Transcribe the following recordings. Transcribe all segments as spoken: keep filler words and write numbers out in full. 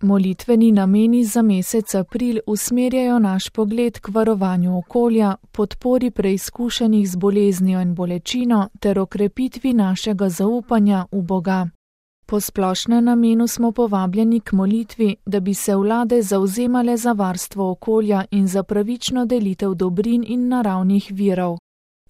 Molitveni nameni za mesec april usmerjajo naš pogled k varovanju okolja, podpori preizkušenih z boleznijo in bolečino ter okrepitvi našega zaupanja v Boga. Po splošnem namenu smo povabljeni k molitvi, da bi se vlade zavzemale za varstvo okolja in za pravično delitev dobrin in naravnih virov.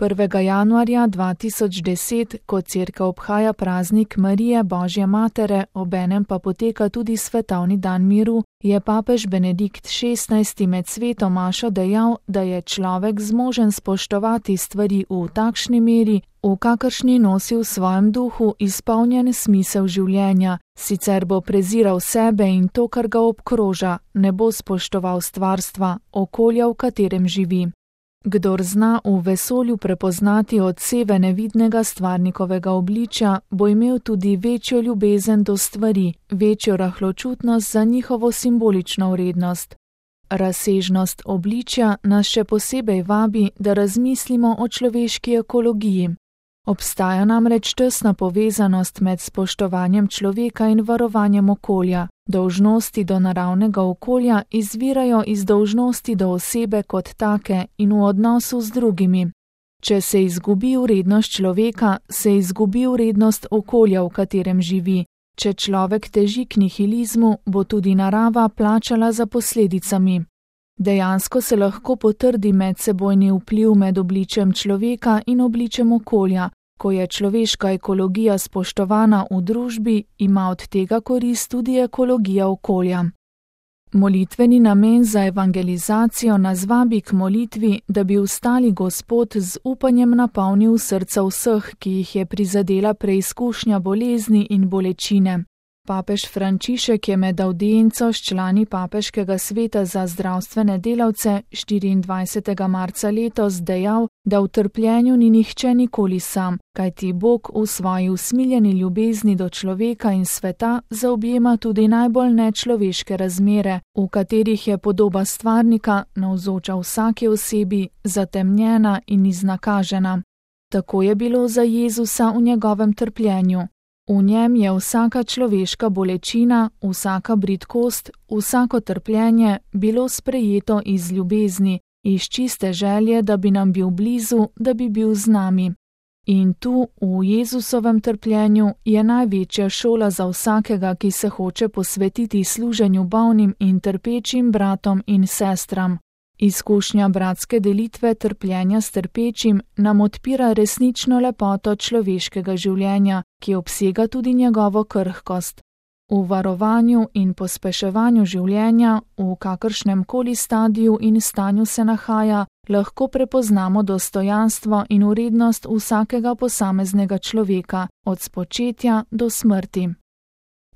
prvega januarja dva tisoč deset, ko Cerkev obhaja praznik Marije Božje Matere, obenem pa poteka tudi svetovni dan miru, je papež Benedikt šestnajsti med sveto mašo dejal, da je človek zmožen spoštovati stvari v takšni meri, v kakršni nosi v svojem duhu izpolnjen smisel življenja, sicer bo preziral sebe in to, kar ga obkroža, ne bo spoštoval stvarstva, okolja, v katerem živi. Kdor zna v vesolju prepoznati odseve nevidnega stvarnikovega obličja, bo imel tudi večjo ljubezen do stvari, večjo rahločutnost za njihovo simbolično vrednost. Razsežnost obličja nas še posebej vabi, da razmislimo o človeški ekologiji. Obstaja namreč tesna povezanost med spoštovanjem človeka in varovanjem okolja. Dolžnosti do naravnega okolja izvirajo iz dolžnosti do osebe kot take in v odnosu z drugimi. Če se izgubi vrednost človeka, se izgubi vrednost okolja, v katerem živi. Če človek teži k nihilizmu, bo tudi narava plačala za posledicami. Dejansko se lahko potrdi medsebojni vpliv med obličjem človeka in obličjem okolja. Ko je človeška ekologija spoštovana v družbi, ima od tega korist tudi ekologija okolja. Molitveni namen za evangelizacijo nas vabi k molitvi, da bi ustali Gospod z upanjem napolnil srca vseh, ki jih je prizadela preizkušnja bolezni in bolečine. Papež Frančišek je med avdienco s člani Papeškega sveta za zdravstvene delavce štiriindvajsetega marca letos dejal, da v trpljenju ni nihče nikoli sam, kajti Bog v svoji usmiljeni ljubezni do človeka in sveta zaobjema tudi najbolj nečloveške razmere, v katerih je podoba stvarnika navzoča vsaki osebi, zatemnjena in iznakažena. Tako je bilo za Jezusa v njegovem trpljenju. V njem je vsaka človeška bolečina, vsaka bridkost, vsako trpljenje bilo sprejeto iz ljubezni, iz čiste želje, da bi nam bil blizu, da bi bil z nami. In tu, v Jezusovem trpljenju, je največja šola za vsakega, ki se hoče posvetiti služenju bolnim in trpečim bratom in sestram. Izkušnja bratske delitve trpljenja s trpečim nam odpira resnično lepoto človeškega življenja, ki obsega tudi njegovo krhkost. V varovanju in pospeševanju življenja, v kakršnem koli stadiju in stanju se nahaja, lahko prepoznamo dostojanstvo in vrednost vsakega posameznega človeka, od spočetja do smrti.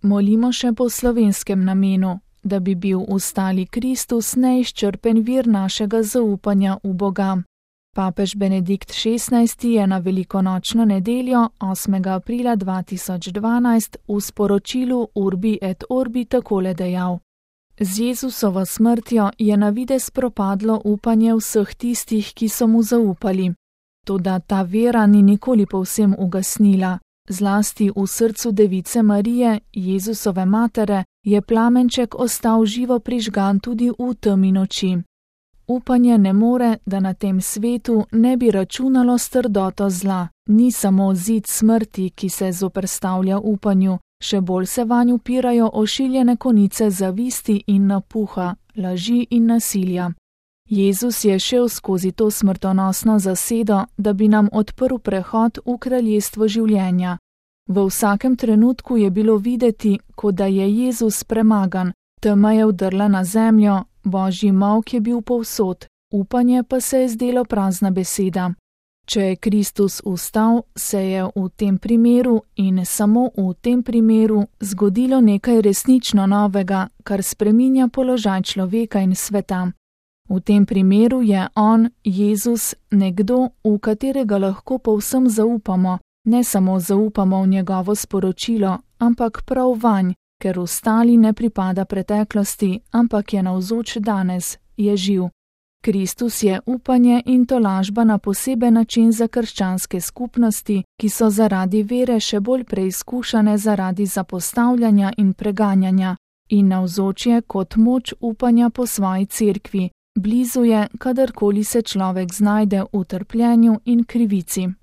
Molimo še po slovenskem namenu, da bi bil ustali Kristus neizčrpen vir našega zaupanja v Boga. Papež Benedikt šestnajsti je na velikonočno nedeljo, osmega aprila dva tisoč dvanajst, v sporočilu Urbi et Orbi takole dejal: Z Jezusovo smrtjo je na videz propadlo upanje vseh tistih, ki so mu zaupali. Toda ta vera ni nikoli povsem ugasnila. Zlasti v srcu device Marije, Jezusove matere, je plamenček ostal živo prižgan tudi v temi noči. Upanje ne more, da na tem svetu ne bi računalo s trdoto zla. Ni samo zid smrti, ki se zoperstavlja upanju, še bolj se vanj upirajo ošiljene konice zavisti in napuha, laži in nasilja. Jezus je šel skozi to smrtonosno zasedo, da bi nam odprl prehod v kraljestvo življenja. V vsakem trenutku je bilo videti, kot da je Jezus premagan, tema je vdrla na zemljo, Božji molk je bil povsod, upanje pa se je zdelo prazna beseda. Če je Kristus vstal, se je v tem primeru in samo v tem primeru zgodilo nekaj resnično novega, kar spreminja položaj človeka in sveta. V tem primeru je on, Jezus, nekdo, v katerega lahko povsem zaupamo, ne samo zaupamo v njegovo sporočilo, ampak prav vanj, ker ostali ne pripada preteklosti, ampak je navzoč danes, je živ. Kristus je upanje in tolažba na poseben način za krščanske skupnosti, ki so zaradi vere še bolj preizkušane zaradi zapostavljanja in preganjanja. in navzoč je kot moč upanja po svoji cerkvi, blizu je, kadarkoli se človek znajde v trpljenju in krivici.